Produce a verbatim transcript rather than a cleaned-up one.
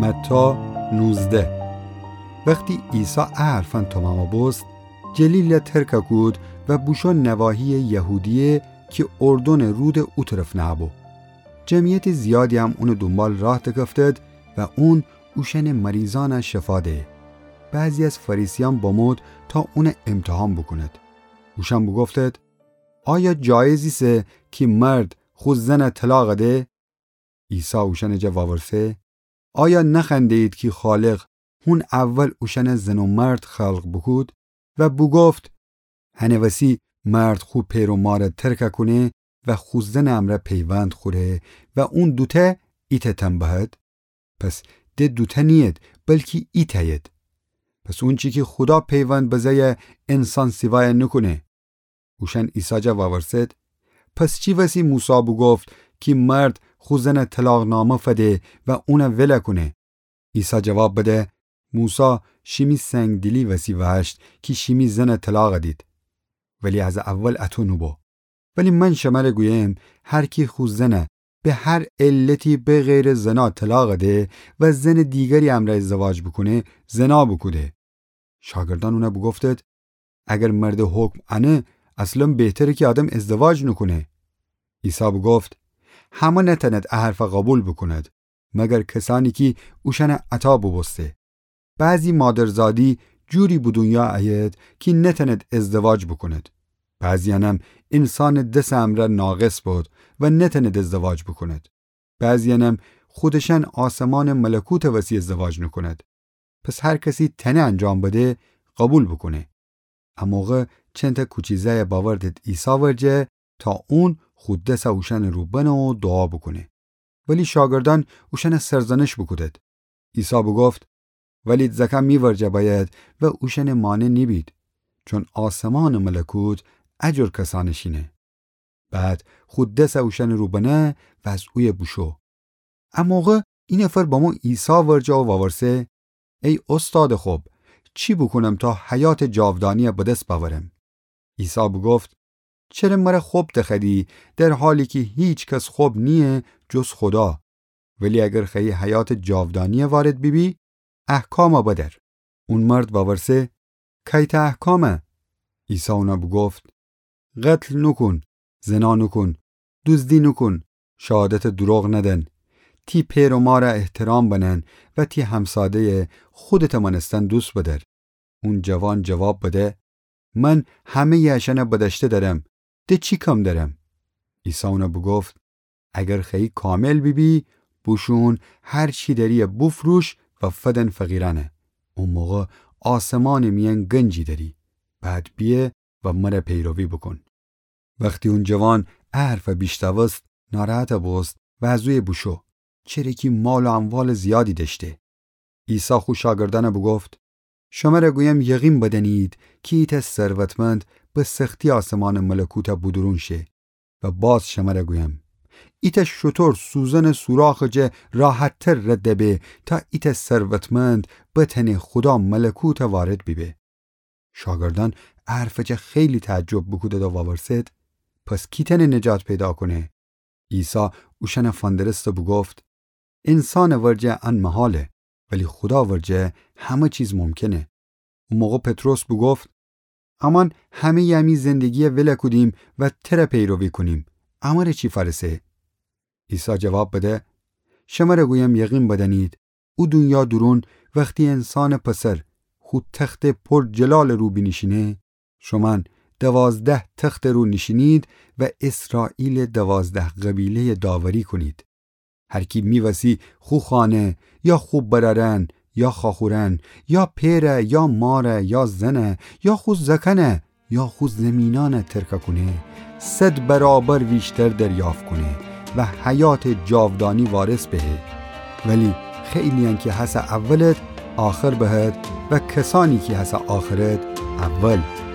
متی نوزده. وختی عیسی ا حرفأن تومامَ بوست، جلیلَ ترکَ کود و بوشو نواحیٚ یهودیه کی اردنٚ رودٚ او طرف نهَ بو. جمعیتٚ زیادی هم اونٚ دونبال راه دکفتید و اون اوشأنٚ مریضأنَ شفا دهه. بعضی از فریسیأن بمود تا اونَ امتحان بوکونید. اوشأن بوگفتید: آیا جایز ایسه کی مرد خو زنَ طلاق ده؟ عیسی اوشأنٚ جا وورسه: آیا نخوأنده‌یید کی خالق هون اول اوشأنَ زن و مرد خلق بوکود و بوگفت: هنٚ وسی مرد خو پئر و مارَ ترکَ کونه و خو زنٚ امرأ پیوند خوره و اون دوتأ ایتأ تن بهد؟ پس د دوتأ نیید، بلکی ایتأیید. پس اونچی کی خودا پیوند بزه‌یَ، انسان سیوایَ نوکونه. اوشأن عیسی جا وورسید: پس چی وسی موسی بوگفت کی مرد خو زنَ طلاق‌نامه فده و اونَ ولَ کونه؟ عیسی جواب بده: موسی شیمی سنگدیلی وسی وأشت کی شیمی زنَ طلاق دید، ولی از اول اطو نوبو. ولی من شمرَ گویم، هر کی خو زنَ به هر علتی بغیرٚ زنا طلاق ده و زنٚ دیگری امرأ ازدواج بوکونه، زنا بوکوده. شاگردأن اونَ بوگفتید: اگر مردٚ حکم انه، اصلاً بهتره کی آدم ازدواج نوکونه. عیسی بوگفت: همه نتأنید ا حرفَ قوبیل بوکونید، مگر کسأنی کی اوشأنَ عطا بوبوسته. بعضی مادرزادی جوری به دونیا ایید کی نتأنید ازدواج بوکونید. بعضی‌یأنم انسانٚ دسٚ امرأ ناقص بید و نتأنید ازدواج بوکونید. بعضی‌یأنم خودشأن آسمانٚ ملکوتٚ وسی ازدواج نوکونید. پس هر کسی تأنه انجام بده، قوبیل بوکونه. ا موقع چندتأ کوچی زأیَ بأوردید عیسی ورجه تا اون خو دسَ اوشأنٚ رو بنه و دوعا بوکونه. ولی شاگردأن اوشأنَ سرزنش بوکودید. عیسی بوگفت: ولید زأکأن می ورجه بأیید و اوشأنٚ مانع نیبید، چون آسمانٚ ملکوت ا جور کسأنٚ شینه. بعد خو دسَ اوشأنٚ رو بنه و از اویه بوشو. ا موقع ای نفر بمو عیسی ورجه و وورسه: ای اوستادٚ خب، چی بوکونم تا حیاتٚ جاودانیَ به دس بأورم؟ عیسی بوگفت: چره مرَ خب دخوأدی، در حالی کی هیکس خب نییه جز خودا؟ ولی اگر خوأیی حیاتٚ جاودانیَ وارد بیبی، احکامَ بدأر. اون مرد وورسه: کأیتأ احکامَ؟ عیسی اونَ بوگفت: قتل نوکون، زنا نوکون، دوزدی نوکون، شهادتٚ دوروغ ندن، تی پئر و مارَ احترام بنن و تی همساده‌یَ خودتٚ مأنستن دوست بدأر. اون جوان جواب بده: من همه‌یٚ اشأنَ بدأشته دأرم، د چی کم دأرم؟ عیسی اونَ بوگفت: اگر خوأیی کامل بیبی، بوشون هر چی دأری‌یَ بوفروش و فدن فقیرأنَ. او موقع آسمانٚ میأن گنجی دأری. بعد بیه و مرَ پیروی بوکون. وختی اون جوان ا حرفَ بیشنوست، ناراحتَ بوست و از اویه بوشو، چره کی مال و اموالٚ زیادی دأشته. عیسی خو شاگردأنَ بوگفت: شمرَ گویم، یقین بدأنید کی ایتأ ثروتمند به سختی آسمانٚ ملکوتَ بودورون شه. و باز شمرَ گویم، ایتأ شتر سوزنٚ سوراخٚ جا راحت‌تر رد به تا ایتأ ثروتمند بتأنه خودا ملکوتَ وارد بیبه. شاگردأن ا حرفٚ جا خیلی تعجب بوکودید و وورسید: پس کی تأنه نجات پیدا کونه؟ عیسی اوشأنَ فندرست و بوگفت: انسانٚ ورجه ان محاله، ولی خودا ورجه همه چیز ممکنه. او موقع پطرس بوگفت: امأن همه‌یٚ امی زندگی‌یَ ولَ کودیم و ترَ پیروی کونیم، امرَ چی فأرسه؟ عیسی جواب بده: شمرَ گویم، یقین بدأنید، او دونیا دورون وختی انسانٚ پسر خو تختٚ پر جلالٚ رو بینیشینه، شومأن دوازده تختٚ رو نیشینید و اسرائیلٚ دوازده قبیله‌یَ داوری کونید. هر کی می وسی خو خانه یا خو برأرأن یا خواخورأن یا پئرَ یا مارَ یا زنَ یا خو زأکأنَ یا خو زیمینأنَ ترکَ کونه، صد برابر ویشتر دریافت کونه و حیاتٚ جاودانی وارث بهه. ولی خیلی‌یأن کی هسه اولد، آخر بهد و کسأنی کی هسه آخرد، اول.